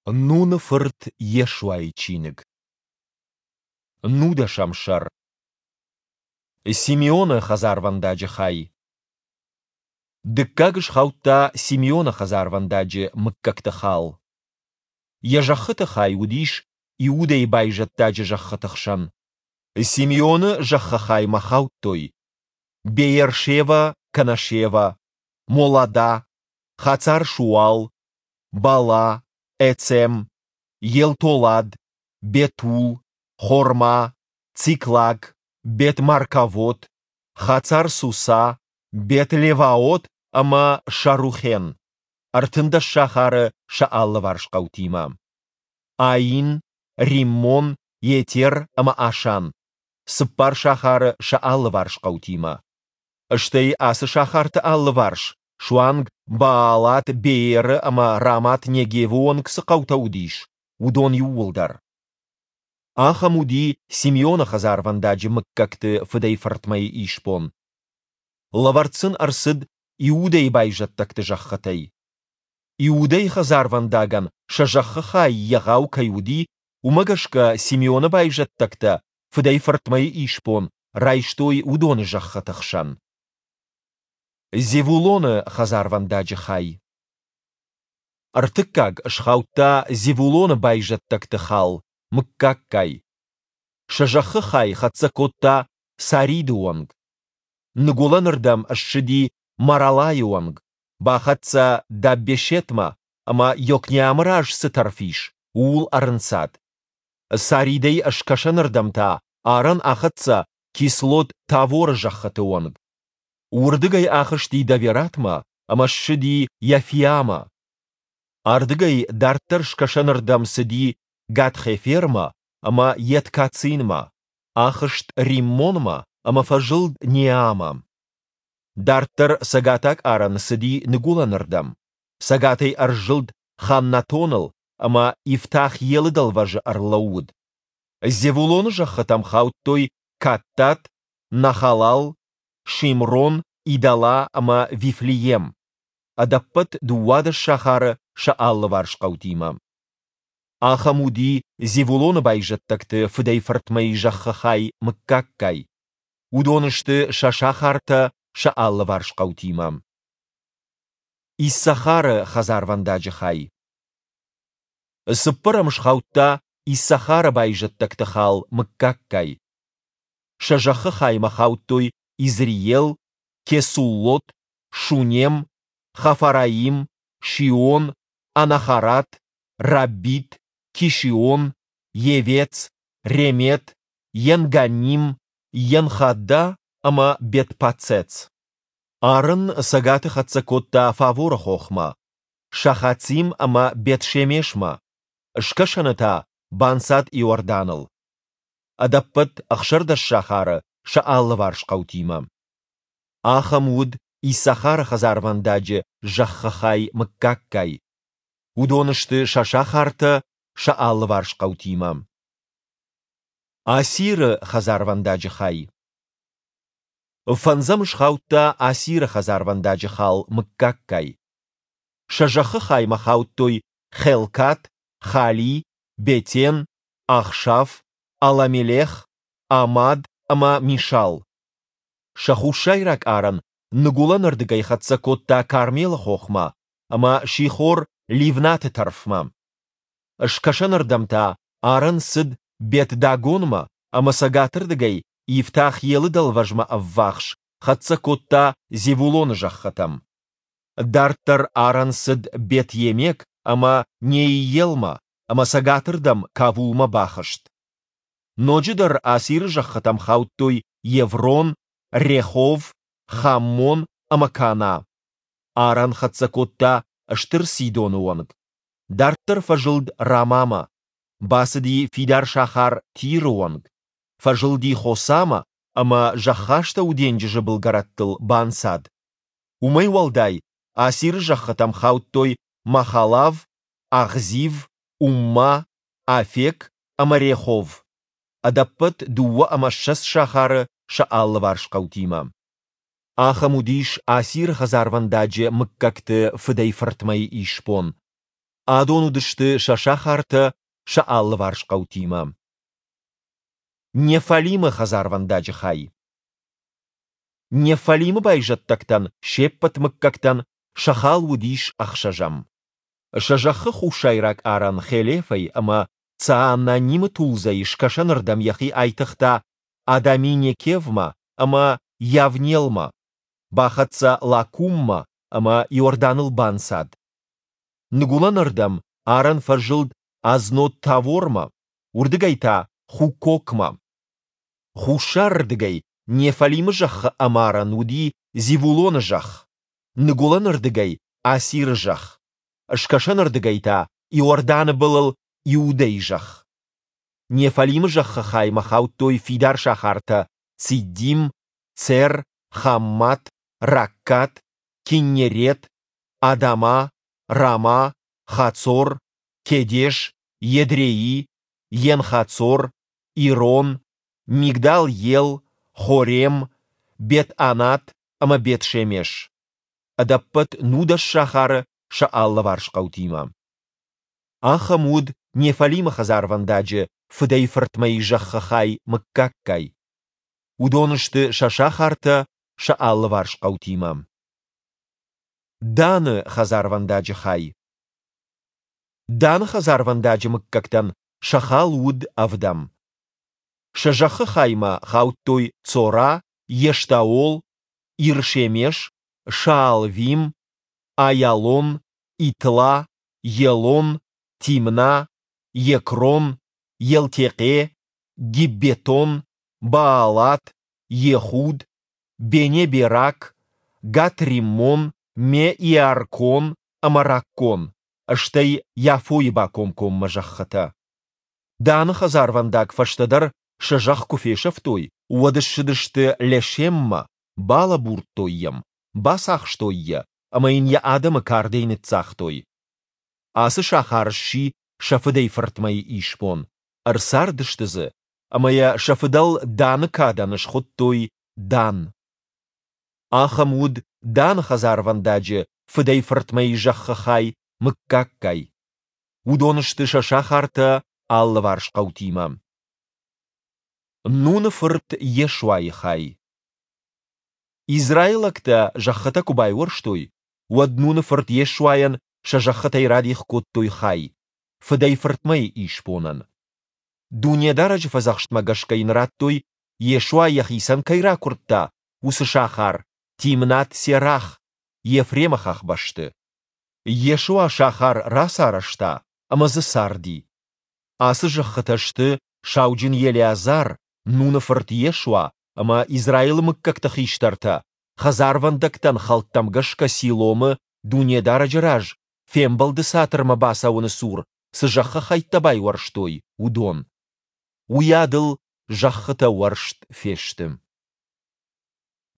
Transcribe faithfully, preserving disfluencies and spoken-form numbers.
Нуны фырт Йешуайы чиныг. Нудӕсӕм сӕр. Симеоны хӕдзарвӕндаджы хай. Дыккаг схаудта Симеоны хӕдзарвӕндаджы мыггӕгты хал. Йӕ зӕххыты хай уыдис Иудӕйы байзӕддаджы зӕххыты хсӕн. Симеоны зӕххы хаймӕ хаудтой: Беер-Шева кӕнӕ Шева, Молада, Хацар-Шуал, Бала, Эцем, Елтолад, Бетул, Хорма, Циклаг, Бет-Маркавот, Хацар-Суса, Бет-Леваот ӕмӕ Шарухен, ӕртындӕс сахары сӕ алыварс хъӕутимӕ. Аин, Риммон, Етер ӕмӕ Ашан, цыппар сахары сӕ алыварс хъӕутимӕ. Стӕй ацы сахарты алыварс, суанг Баалат-Бееры ӕмӕ Рамат-Негевы онг цы хъӕутӕ уыдис, уыдон иууылдӕр. Ахӕм уыди Симеоны хӕдзарвӕндаджы мыггӕгты фыдӕй-фыртмӕйы исбон. Лӕвӕрд сын ӕрцыд Иудӕйы байзӕддӕгты зӕххытӕй. Иудӕйы хӕдзарвӕндагӕн сӕ зӕххы хай егъау кӕй уыди, уымӕ гӕсгӕ Симеоны байзӕддӕгтӕ фыдӕй-фыртмӕйы исбон райстой уыдоны зӕххыты хсӕн. Зевулоны хӕдзарвӕндаджы хай. Ӕртыккаг схаудта Зевулоны байзӕддӕгты хал мыггаггай. Сӕ зӕххы хай хӕццӕ кодта Сариды онг. Ныгуылӕнырдӕм ссыди Маралайы онг, бахӕццӕ Даббешетмӕ ӕмӕ Йокнеамы раз цы тӕрф ис, ууыл ӕрынцад. Саридӕй скӕсӕнырдӕм та арӕн ахӕццӕ Кислот-Таворы зӕххыты онг. Уырдыгӕй ахызти Давератмӕ ӕмӕ ссыди Йафиамӕ. Ардыгӕй дарддӕр скӕсӕнырдӕм цыди Гат-Хефермӕ ӕмӕ Ет-Кацинмӕ, ахызт Риммонмӕ ӕмӕ фӕзылд Неамӕ. Дарддӕр цӕгатаг арӕн цыди ныгуылӕнырдӕм, цӕгатӕй ӕрзылд Ханнатоныл ӕмӕ Ифтах-Елы дӕлвӕзы ӕрлӕууыд. Зевулоны зӕххытӕм хаудтой Каттат, Нахалал, Шимрон, Идала ӕмӕ Вифлеем, ӕдӕппӕт дыууадӕс сахары сӕ алыварс хъӕутимӕ. Ахӕм уыди Зевулоны байзӕддӕгты фыдӕй-фыртмӕйы зӕххы хай мыггаггай. Уыдон сты сӕ сахартӕ сӕ алыварс хъӕутимӕ. Иссахары хӕдзарвӕндаджы хай. Цыппӕрӕм схаудта Иссахары байзӕддӕгты хал мыггаггай. Сӕ зӕххы хаймӕ хаудтой Изреел, Кесуллот, Шунем, Хафараим, Шион, Анахарат, Раббит, Кишион, Йевец, Ремет, Енганним, Енхадда ӕмӕ Бет-Паццец. Арӕн цӕгаты хӕццӕ кодта Фаворы хохмӕ, Шахацим ӕмӕ Бет-Шемешмӕ, скӕсӕны та банцад Иорданыл. Ӕдӕппӕт ӕхсӕрдӕс сахары сӕ алыварс хъӕутимӕ. Ахӕм уыд Иссахары хӕдзарвӕндаджы зӕххы хай мыггаггай. Уыдон сты сӕ сахартӕ сӕ алыварс хъӕутимӕ. Асиры хӕдзарвӕндаджы хай. Фӕндзӕм схаудта Асиры хӕдзарвӕндаджы хал мыггаггай. Сӕ зӕххы хаймӕ хаудтой Хелкат, Хали, Бетен, Ахшаф, Аламелех, Амад ӕмӕ Мишал. Сӕ хуссайраг арӕн ныгуылӕнырдыгӕй хӕццӕ кодта Кармелы хохмӕ ӕмӕ Сихор-Ливнаты тӕрфмӕ. Скӕсӕнырдӕм та арӕн цыд Бет-Дагонмӕ ӕмӕ цӕгатырдыгӕй Ифтах-Елы дӕлвӕзмӕ ӕввахс хӕццӕ кодта Зевулоны зӕххытӕм. Дарддӕр арӕн цыд Бет-Емек ӕмӕ Неиелмӕ ӕмӕ цӕгатырдӕм Кавулмӕ бахызт. Ноджыдӕр Асиры зӕххытӕм хаудтой Еврон, Рехов, Хаммон ӕмӕ Кана. Арӕн хӕццӕ кодта Стыр Сидоны онг. Дарддӕр фӕзылд Рамамӕ, бацыди фидар сахар Тиры онг, фӕзылди Хосамӕ ӕмӕ Зӕххастӕуы денджызы былгӕрӕттыл банцад. Уымӕй уӕлдай Асиры зӕххытӕм хаудтой Махалав, Ахзив, Умма, Афек ӕмӕ Рехов, ӕдӕппӕт дыууӕ ӕмӕ ссӕдз сахары сӕ алыварс хъӕутимӕ. Ахӕм уыдис Асиры хӕдзарвӕндаджы мыггӕгты фыдӕй-фыртмӕйы исбон. Адон уыдысты сӕ сахартӕ сӕ алыварс хъӕутимӕ. Неффалимы хӕдзарвӕндаджы хай. Неффалимы байзӕддӕгтӕн се ппӕт мыггӕгтӕн сӕ хал уыдис ӕхсӕзӕм. Сӕ зӕххы хуссайраг арӕн Хелефӕй ӕмӕ Цаананимы тулдзӕй скӕсӕнырдӕм йӕхи айтыгъта Адами-Некевмӕ ӕмӕ Йавнелмӕ, бахӕццӕ Лаккуммӕ ӕмӕ Иорданыл банцад. Ныгуылӕнырдӕм арӕн фӕзылд Азнот-Тавормӕ, уырдыгӕй та Хукокмӕ. Хуссарырдыгӕй Неффалимы зӕххы ӕмарӕн уыди Зевулоны зӕхх, ныгуылӕнырдыгӕй – Асиры зӕхх, скӕсӕнырдыгӕй та – Иорданы былыл Иудӕйы зӕхх. Неффалимы зӕххы хаймӕ хаудтой фидар сахартӕ Циддим, Цер, Хаммат, Раккат, Киннерет, Адама, Рама, Хацор, Кедеш, Едреи, Ен-Хацор, Ирон, Мигдал-Ел, Хорем, Бет-Анат ӕмӕ Бет-Шемеш. Ӕдӕппӕт нудӕс сахары сӕ алыварс хъӕутимӕ. Ахӕм уыд Неффалимы хӕдзарвӕндаджы фыдӕй-фыртмӕйы зӕххы хай мыггаггай. Уыдон сты сӕ сахартӕ сӕ алыварс хъӕутимӕ. Даны хӕдзарвӕндаджы хай. Даны хӕдзарвӕндаджы мыггӕгтӕн сӕ хал уыд ӕвдӕм. Сӕ зӕххы хаймӕ хаудтой Цора, Ештаол, Ир-Шемеш, Шаалвим, Аиалон, Итла, Елон, Тимна, Екрон, Елтекъе, Гиббетон, Баалат, Йехуд, Бене-Берак, Гат-Риммон, Ме-Иаркон ӕмӕ Раккон, стӕй Яфойы бакомкоммӕ зӕххытӕ. Даны хӕдзарвӕндаг фӕстӕдӕр сӕ зӕхх куы фесӕфтой, уӕд ссыдысты Лешеммӕ, балӕбурдтой йӕм, бацахстой йӕ ӕмӕ йын йӕ адӕмы кардӕй ныццагътой. Ацы сахар сси сӕ фыдӕй-фыртмӕйы исбон, ӕрцардысты дзы ӕмӕ йӕ сӕ фыдӕл Даны кадӕн схуыдтой Дан. Ахӕм уыд Даны хӕдзарвӕндаджы фыдӕй-фыртмӕйы зӕххы хай мыггаггай. Уыдон сты сӕ сахартӕ алыварс хъӕутимӕ. Нуны фырт Йешуайы хай. Израилӕгтӕ зӕххытӕ куы байуӕрстой, уӕд Нуны фырт Йешуайӕн сӕ зӕххытӕй радих кодтой хай, фыдӕй-фыртмӕйы исбонӕн. Дунедарӕджы фӕдзӕхстмӕ гӕсгӕ йын радтой, Йешуа йӕхицӕн кӕй ракуырдта, уыцы сахар Тимнат-Серах, Ефремы хӕхбӕсты. Йешуа сахар рацарӕзта ӕмӕ дзы царди. Ацы зӕххытӕ сты сауджын Елеазар, Нуны фырт Йешуа ӕмӕ Израилы мыггӕгты хистӕртӕ, хӕдзарвӕндӕгтӕн хӕлттӕм гӕсгӕ Силомы, Дунедарӕджы раз, Фембӕлды цатырмӕ бацӕуӕны цур цы зӕххы хӕйттӕ байуӕрстой, уыдон. Уыйадыл зӕххытӕ уӕрст фесты.